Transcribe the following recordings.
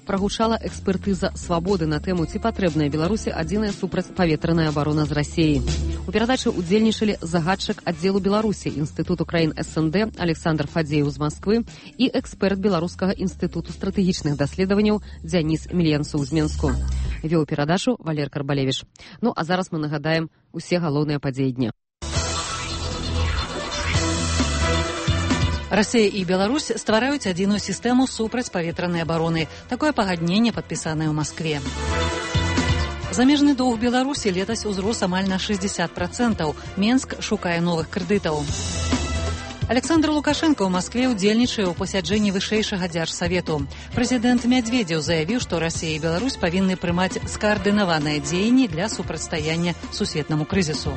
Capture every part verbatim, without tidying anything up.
прагучала экспертыза «Свабоды» на тэму, ці патрэбная Беларусі адзіная супрацьпаветраная абарона з Расіяй. У перадачы удзельнічалі загадчык аддзелу Беларусі Інстытуту краін СНД Александр Фадзеев з Масквы і эксперт Беларускага інстытуту стратэгічных даследаванняў Дзяніс Мільянцоў з Менску. Вёў перадачу Валер Карбалевіч. Ну, а зараз мы нагадаем усе галоўныя падзеі дня. Расія і Беларусь ствараюць адзіную сістэму супрацьпаветранай абароны. Такое пагадненне падпісанае ў Маскве. Замежны доўг Беларусі летась узрос амаль на шэсцьдзесят працэнтаў. Менск шукае новых крэдытаў. Александр Лукашенко ў Маскве ўдзельнічае ў пасяджэнні вышэйшага дзяржсавету. Прэзідэнт Мядзведзеў заявіў, што Расія і Беларусь павінны прымаць скаардынаваныя дзеянні для супрацьстаяння сусветнаму крызісу.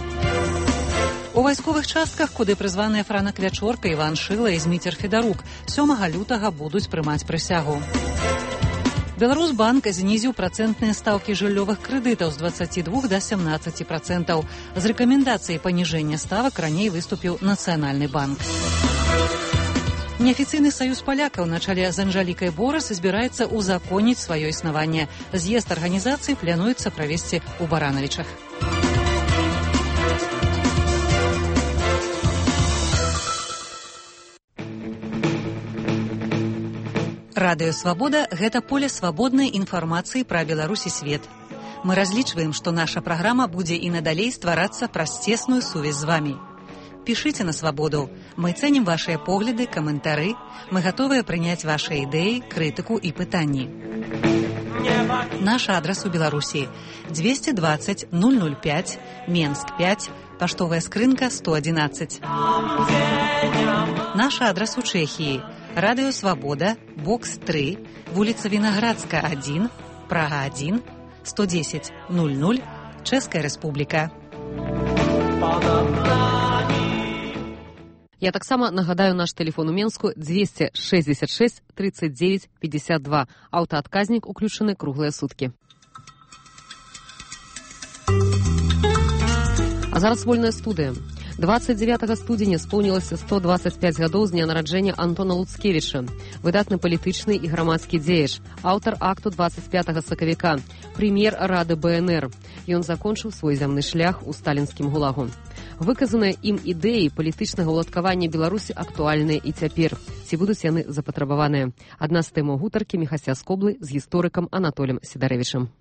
У вайсковых частках, куды прызваныя Франак Вячорка, Іван Шыла і Зміцер Федарук, сёмага лютага будуць прымаць прысягу. Беларусбанк знізіў працэнтныя стаўкі жыллёвых крэдытаў з дваццаці двух да сямнаццаці працэнтаў. З рэкамендацыяй паніжэння ставак раней выступіў Нацыянальны банк. Неафіцыйны саюз палякаў на чале з Анжалікай Борас збіраецца узаконіць сваё існаванне. З'езд арганізацыі плануецца правесці ў Баранавічах. Радыё «Свабода» – гэта поле свабоднай інфармацыі пра Беларусь і свет. Мы разлічваем, што наша праграма будзе і надалей стварацца праз цесную сувязь з вамі. Пішыце на «Свабоду». Мы цэнім вашыя погляды, каментары. Мы гатовыя прыняць вашыя ідэі, крытыку і пытанні. Наш адрас у Беларусі – двести двадцать ноль ноль пять, Менск пять, паштовая скрынка сто одиннадцать. Наш адрас у Чэхіі – Радыё «Свабода», бокс три, вуліца Вінаградска один, Прага один, сто десять ноль ноль, Чэшская Рэспубліка. Я таксама нагадаю наш тэлефон у Менску двести шестьдесят шесть тридцать девять пятьдесят два. Аўтаадказнік уключаны круглыя суткі. А зараз вольная студыя. двадцать девятага студзеня споўнілася сто двадцать пять гадоў з дня нараджэння Антона Луцкевіча, выдатны палітычны і грамадскі дзеяч, аўтар акту двадцать пятага сакавіка, прэм'ер Рады БНР. Ён закончыў свой зямны шлях у сталінскім гулагу. Выказаныя ім ідэі палітычнага ўладкавання Беларусі актуальныя і цяпер. Ці будуць яны запатрабаваныя? Адна з тэмаў гутаркі Міхася Скоблы з гісторыкам Анатолем Сідарэвічам.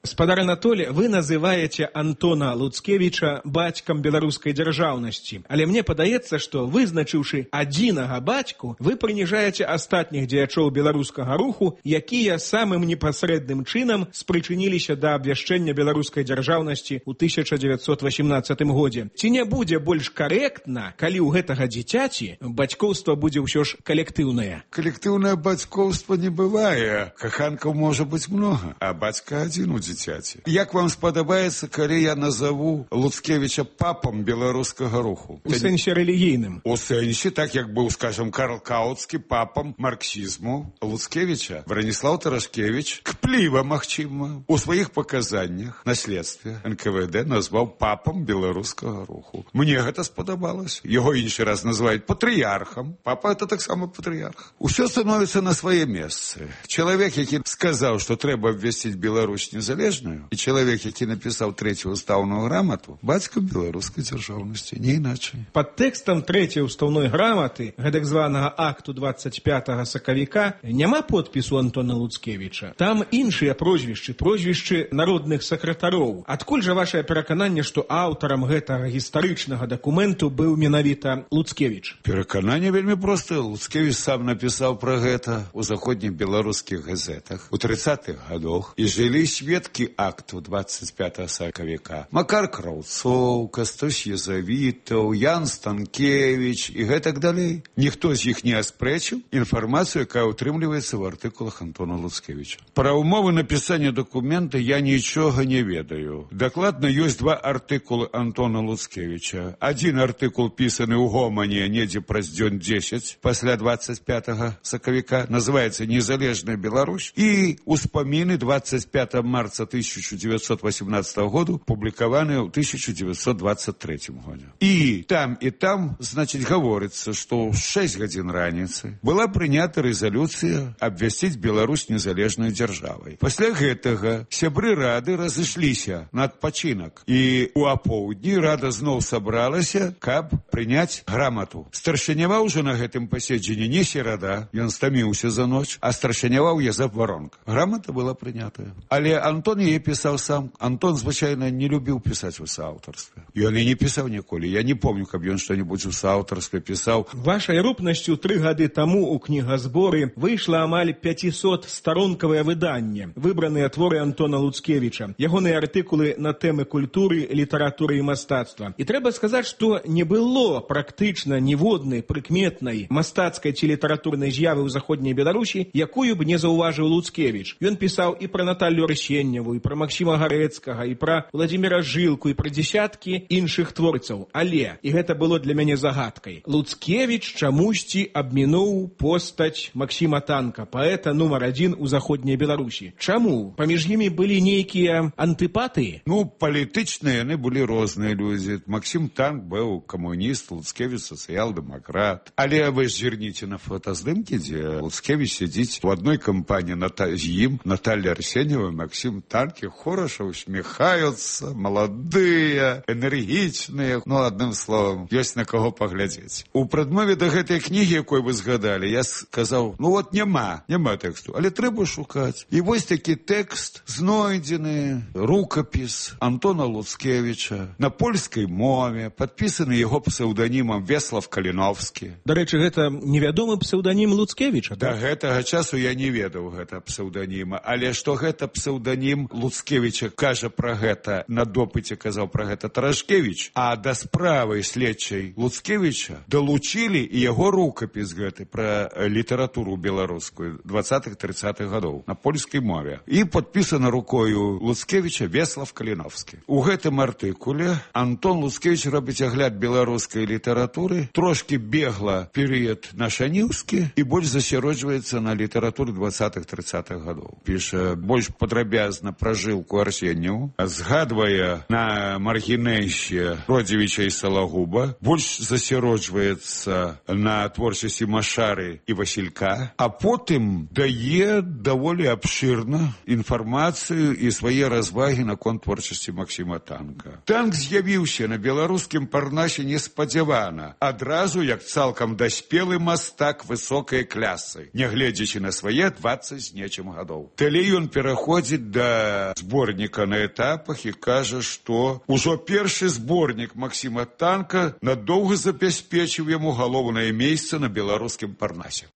Спадар Анатолий, вы называете Антона Луцкевича бацькам беларускай дзяржаўнасці. Але мне падаецца, што вызначыўшы адзінага бацьку, вы прыніжаеце астатніх дзеячоў беларускага руху, якія самым непасрэдным чынам спрычыніліся да абвяшчэння беларускай дзяржаўнасці ў тысяча дзевяцьсот васемнаццатым годзе. Ці не будзе больш карэктна, калі ў гэтага дзіцяці бацькоўства будзе ўсё ж калектыўнае? Калектыўнае бацькоўства не бывае. Каханкаў можа быць многа, а бацька адзін у дзіцяці. Як вам спадабаецца, калі я назову Луцкевіча папам беларускага руху? У сэнсе рэлігійным. У сэнсе, так як быў, скажем, Карл Каутскі папам марксізму Луцкевіча. Браніслаў Тарашкевіч, кпліва, магчыма, у сваіх паказаннях на следстве эн ка вэ дэ назваў папам беларускага руху. Мне гэта спадабалася. Яго іншы раз называюць патрыярхам. Папа это таксама патрыярх. Усё становіцца на свае месцы. Чалавек, які сказаў, што трэба абвясціць Беларусь незалежнай, і чалавек, які напісаў трэцюю ўстаўную грамату, бацька беларускай дзяржаўнасці, не іначай. Пад тэкстам трэцяй ўстаўной граматы, гэтак званага акту двадцать пятага сакавіка, няма подпісу Антона Луцкевіча. Там іншыя прозвішчы, прозвішчы народных сакратароў. Адкуль жа вашае перакананне, што аўтарам гэтага гістарычнага дакументу быў менавіта Луцкевіч? Перакананне вельмі простае. Луцкевіч сам напісаў пра гэта ў заходніх беларускіх газетах у трыццатых гадах, і жылі сведкі акту двадцать пятага сакавіка. Макар Краўцоў, Кастусь Язавітаў, Ян Станкевіч і гэтак далей. Ніхто з іх не аспрэчыў інфармацыю, якая ўтрымліваецца ў артыкулах Антона Луцкевіча. Пра умовы напісання дакумента я нічога не ведаю. Дакладна ёсць два артыкулы Антона Луцкевіча. Адзін артыкул пісаны ў гомане недзе праз дзён дзесяць пасля двадцать пятага сакавіка, называецца «Незалежная Беларусь», і успаміны двадцать пятого марта тысяча девятьсот восемнадцатого году, публікаваныя ў тысяча девятьсот двадцать третьем годзе. І там, і там, значит, говорится, что в шесть гадзін раніцы была прынята рэзалюцыя абвясціць Беларусь незалежнай дзяржавай. Пасля гэтага сябры рады разышліся на адпачынак, і у апоўдні рада зноў сабралася, каб прыняць грамату. Старшыняваў уже на гэтым паседжанні не серада, ён стаміўся за ноч, а старшыняваў Язэп Воронка. Грамата была прынятая. Але Антон яе пісаў сам. Антон, звычайна, не любіў пісаць у сааўтарстве. Ён і не пісаў ніколі. Я не помню, каб ён што-небудзь у сааўтарстве пісаў. Вашай рупнасцю тры гады таму ў кнігазборы выйшла амаль пяцісот-старонкавае выданне, выбраныя творы Антона Луцкевіча, ягоныя артыкулы на тэмы культуры, літаратуры і мастацтва. І трэба сказаць, што не было практычна ніводнай прыкметнай мастацкай ці літаратурнай з'явы ў заходняй Беларусі, якую б не заўважыў Луцкевіч. Ён пісаў і пра Наталлю Арсеньеву, і пра Максіма Гарэцкага, і пра Владзіміра Жылку, і пра дзесяткі іншых творцаў. Але, і гэта было для мяне загадкай, Луцкевіч чамусьці абмінуў постаць Максіма Танка, паэта нумар адзін у заходняй Беларусі. Чаму? Паміж імі былі нейкія антыпатыі? Ну, палітычныя яны былі розныя людзі. Максім Танк быў камуніст, Луцкевіч сацыял-дэмакрат. Але вы ж зірніце на фотаздымкі, дзе Луцкевіч сядзіць у адной кампаніі з ім, Наталья Арсеньева, Максим Танки, хораша усміхаюцца, маладыя, энергічныя. Ну, адным словам, ёсць на каго паглядзець. У прадмове да гэтай кнігі, якой вы згадалі, я сказаў, ну вот няма, няма тэксту, але трэба шукаць. І вось такі тэкст знойдзены, рукапіс Антона Луцкевіча на польскай мове, падпісаны яго псеўданімам Веслав Каліновскі. Дарэчы, гэта невядомы псеўданім Луцкевіча, да? Да гэтага часу я не ведаў гэта псеўданіма, але што гэта псеўданім Луцкевіча, кажа пра гэта, на допыце казаў пра гэта Тарашкевіч, а да справы следчай Луцкевіча далучылі і яго рукапіс гэты пра літаратуру беларускую двадцатых-трыццатых гадоў на польскай мове. І падпісана рукою Луцкевіча Веслав Каліновскі. У гэтым артыкуле Антон Луцкевіч робіць агляд беларускай літаратуры, трошки бегла перыяд нашаніўскі і больш засяроджваецца на літаратуры двадцатых-трыццатых гадоў. Піша больш падрабязна пра Жылку Арсеньеву, згадвае на маргінэйще Родзевіча і Салагуба, больш засяроджваецца на творчасці Машары і Васілька, а потым дае даволі абшырна інфармацыю і свае развагі наконт творчасці Максіма Танка. Танк з'явіўся на беларускім парнасе неспадзявана, адразу як цалкам даспелы мастак высокай клясы, нягледзячы на свае двадцать з нечым гадоў. Далей ён пераходзіць да зборніка на этапах і кажа, што ўжо першы зборнік Максіма Танка надоўга забяспечыў яму галоўнае месца на беларускім парнасе.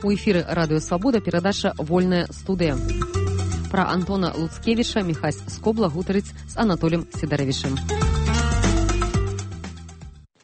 У эфіры радыё Свабода перадача «Вольная студыя». Пра Антона Луцкевіча Міхась Скобла гутарыць з Анатолем Сідаравічым.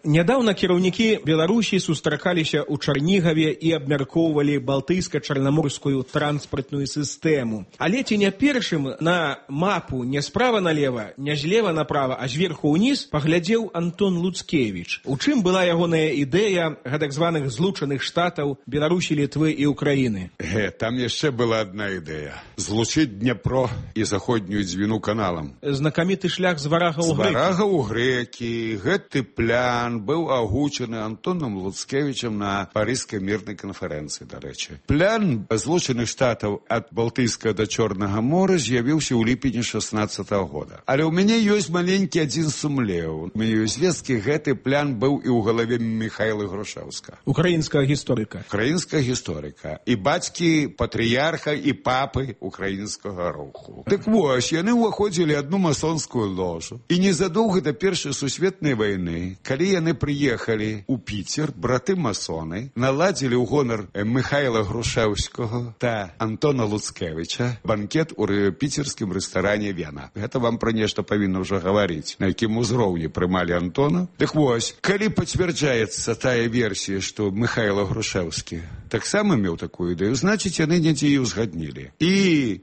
Нядаўна кіраўнікі Беларусі сустракаліся ў Чарнігаве і абмяркоўвалі балтыйска-чарнаморскую транспартную сістэму. Але ці не першым на мапу не справа налева, не злева направа, а зверху ўніз паглядзеў Антон Луцкевіч. У чым была ягоная ідэя гэтак званых злучаных штатаў Беларусі, Літвы і Украіны? Ге, там яшчэ была адна ідэя. Злучыць Дняпро і заходнюю Дзвіну каналам. Знакаміты шлях з Варага ў Грэкі. З Варага ў Грэкі. Гэты плян быў агучаны Антоном Луцкевічам на Парыжскай мірнай канферэнцыі, дарэчы. Плян злучаных штатаў ад Балтыйскага да Чорнага мора з'явіўся ў ліпені шаснаццатага года. Але ў мяне ёсць маленькі адзін сумлеў. У мяне ёсць звесткі, гэты плян быў і ў галаве Міхайла Грушэўска. Украінскага гісторыка. Украінскага гісторыка. І бацькі патрыярха і папы украінскага руху. Так вось, яны ўваходзілі адну масонскую ложу. І незадоўга да Першай сусветнай вайны, калі яны яны прыехалі ў Піцер, браты-масоны, наладзілі ў гонар Михайла Грушэўскага та Антона Луцкевіча банкет у піцерскім рэстаране «Вена». Гэта вам пра нешта павінна ўжо гаварыць, на якім узроўні прымалі Антона. Дык вось, калі пацвярджаецца тая версія, што Михайла Грушэўскі таксама меў такую ідэю, значыць, яны недзе і узгаднілі. І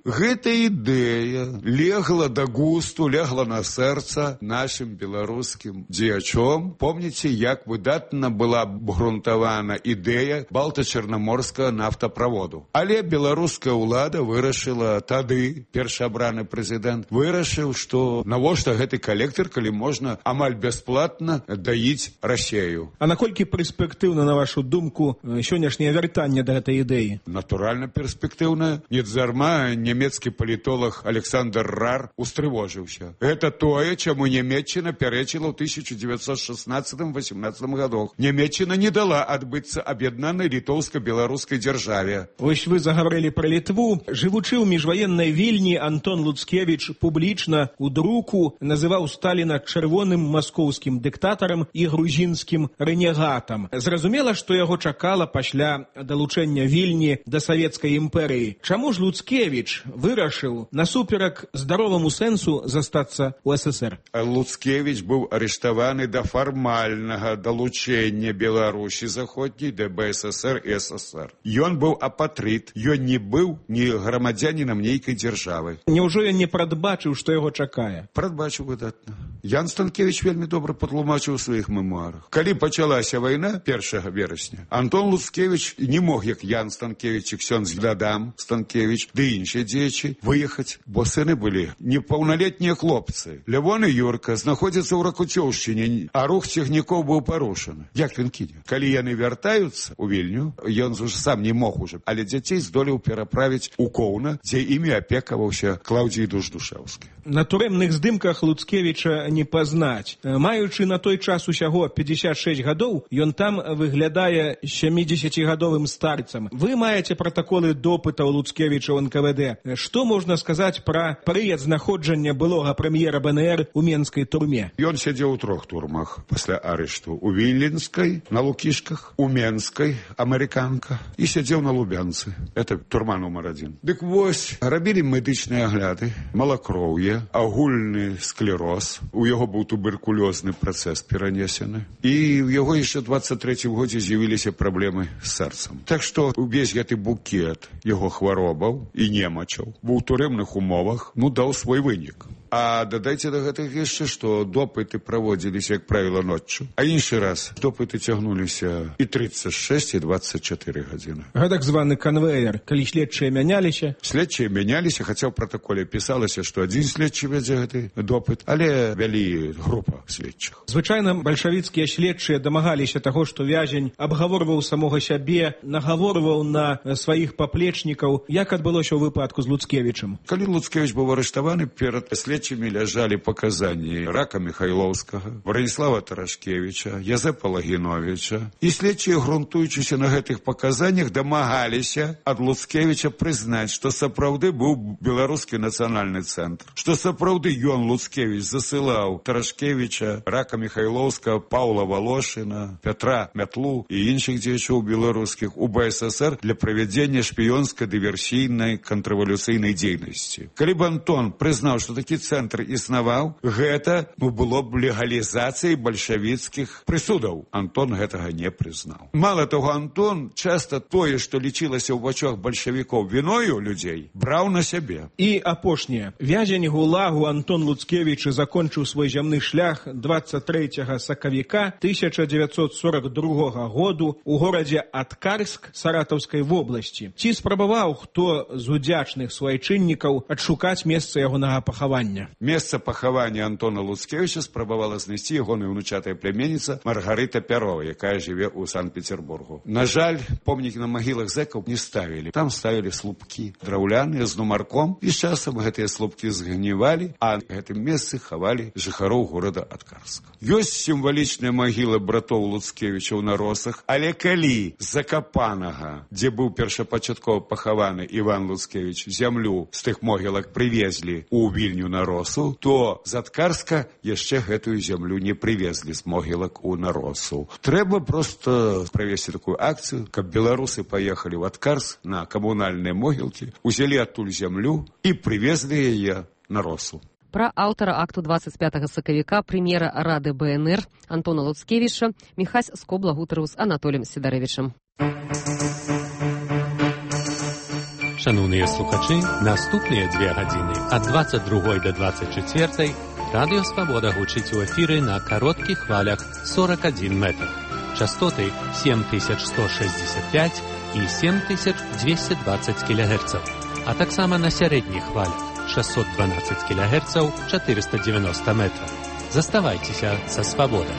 гэта ідэя легла да густу, легла на сэрца нашым беларускім дзеячом. Помніце, як выдатна была абгрунтавана ідэя балта-чарнаморскага нафтаправоду. Але беларуская ўлада вырашыла тады, першаабраны прэзідэнт, вырашыў, што навошта гэты калектар, калі можна амаль бясплатна даіць Расею. А наколькі перспектыўна, на вашу думку, сённяшняе вяртанне да гэтай ідэі? Натуральна перспектыўна. Нездарма нямецкі палітолог Александр Рар устрывожыўся. Гэта тое, чаму Нямецчына пярэчыла ў тысяча дзевяцьсот шаснаццатым васемнаццатым гадах. Нямецчына не дала адбыцца аб'яднанай літоўска-беларускай дзяржаве. Вось вы загаварылі пра Літву. Жывучы ў міжваеннай Вільні, Антон Луцкевіч публічна ў друку называў Сталіна чырвоным маскоўскім дыктатарам і грузінскім рэнегатам. Зразумела, што яго чакала пасля далучэння Вільні да савецкай імперыі. Чаму ж Луцкевіч вырашыў насуперак здароваму сэнсу застацца ў СССР? Луцкевіч быў арыштаваны да фармальнага далучэння Беларусі заходняй да БССР і СССР. Ён быў апатрыт, ён не быў ні грамадзянінам нейкай дзяржавы. Няўжо ён не прадбачыў, што яго чакае? Прадбачыў выдатна. Ян Станкевіч вельмі добра патлумачыў у сваіх мемуарах. Калі пачалася вайна першага верасня, Антон Луцкевіч не мог, як Ян Станкевіч і ксёндз Адам Станкевіч, ды іншыя дзеячы, выехаць, бо сыны былі непаўналетнія хлопцы. Лявон і Юрка знаходзяцца ў Ракуцёўшчыне, а рух цягнікоў быў парушаны. Як ён кіне? Калі яны вяртаюцца ў Вільню, ён уже сам не мог уже, але дзяцей здолеў пераправіць у Коўна, дзе імі апекаваўся Клаўдзій Дуждушэўскі. На турэмных здымках Луцкевіча не пазнаць. Маючы на той час усяго пятьдесят шесть гадоў, ён там выглядае сямідзесяцігадовым старцам. Вы маеце пратаколы допытаў Луцкевіча ў эн ка вэ дэ. Што можна сказаць пра перыяд знаходжання былога прэм'ера бэ эн ер у менскай турме? Ён сядзеў у трох турмах пасля арышту. У Віленскай, на Лукішках, у Менскай, амерыканка, і сядзеў на Лубянцы. Это турма нумар адзін. Дык вось, рабілі медычныя агляды, малакроўе, агульны склероз, у яго быў туберкулёзны працэс перанесены, і ў яго яшчэ двадцать трэцім годзе з'явіліся праблемы з сэрцам. Так што увесь гэты букет яго хваробаў і немачаў быў у турэмных умовах, ну, даў свой вынік. А дадайце да гэтых яшчэ, што допыты праводзіліся, як правіла, ноччу. А іншы раз допыты цягнуліся і тридцать шесть, і двадцать четыре гадзіны. Гэтак званы канвеер, калі следчыя мяняліся? Следчыя мяняліся, хаця ў пратаколе пісалася, што адзін следчы вядзе гэты допыт, але вялі група следчых. Звычайна бальшавіцкія следчыя дамагаліся таго, што вязень абгаворваў самога сябе, нагаворваў на сваіх паплечнікаў. Як адбылося ў выпадку з Луцкевічам? Калі Луцкевіч быў арыштаваны, перад следчымі ляжалі паказанні Рака Михайловскага, Браніслава Тарашкевіча, Язэпа Лагіновіча. І следчыя, грунтуючыся на гэтых паказаннях, дамагаліся ад Луцкевіча прызнаць, што сапраўды быў беларускі нацыянальны цэнтр, што сапраўды ён, Луцкевіч, засылаў Тарашкевіча, Рака Михайловскага, Паўла Волошина, Пятра Мятлу і іншых дзеячоў беларускіх у бэ эс эс эр для правядзення шпіёнска-дыверсійнай контррэвалюцыйнай дзейнасці. Калі б Антон прызнаў, што такі цэнтр існаваў, гэта ну, было б легалізацыяй бальшавіцкіх прысудаў. Антон гэтага не прызнаў. Мала таго, Антон часта тое, што лічылася ў вачах бальшавікоў віною людзей, браў на сябе. І апошняе. Вязень ГУЛАГу Антон Луцкевіч закончыў свой зямны шлях двадцать трэцяга сакавіка тысяча дзевяцьсот сорок другога году у горадзе Аткарск Саратаўскай вобласці. Ці спрабаваў хто з удзячных свайчыннікаў адшукаць месца ягонага пахавання? Месца пахавання Антона Луцкевіча спрабавала знайсці ягоная ўнучатая пляменніца Маргарыта Пярова, якая жыве ў Санкт-Петербургу. На жаль, помнікі на магілах зэкаў не ставілі. Там ставілі слупкі драўляныя з нумарком, і з часам гэтыя слупкі згнівалі, а гэтым месцы хавалі жыхароў горада Аткарска. Ёсць сімвалічная магіла братоў Луцкевічаў на Росах, але калі з Закапанага, дзе быў першапачаткова пахаваны Іван Луцкевіч, зямлю з тых могілак прывезлі у Вільню на Наросу, то з Аткарска яшчэ гэтую зямлю не прывезлі з могілак у Наросу. Трэба проста правесці такую акцыю, каб беларусы паехалі ў Аткарск на камунальныя могілкі, узялі адтуль зямлю і прывезлі яе на Росу. Пра аўтара акту двадцать пятага сакавіка прэм'ера Рады БНР Антона Луцкевіча Міхась Скобла гутарыў з Анатоліем Сідарэвічам. Шановныя слухачы, наступныя дзве гадзіны ад двадцать другой до двадцать чацвёртай Радыё Свабода гучыць у эфіры на кароткіх хвалях сорок один метр. Частоты семь тысяч сто шестьдесят пять і семь тысяч двести двадцать килогерцаў, а таксама на сярэдніх хвалях шестьсот двенадцать килогерцаў, четыреста девяносто метров. Заставайцеся са Свабодай.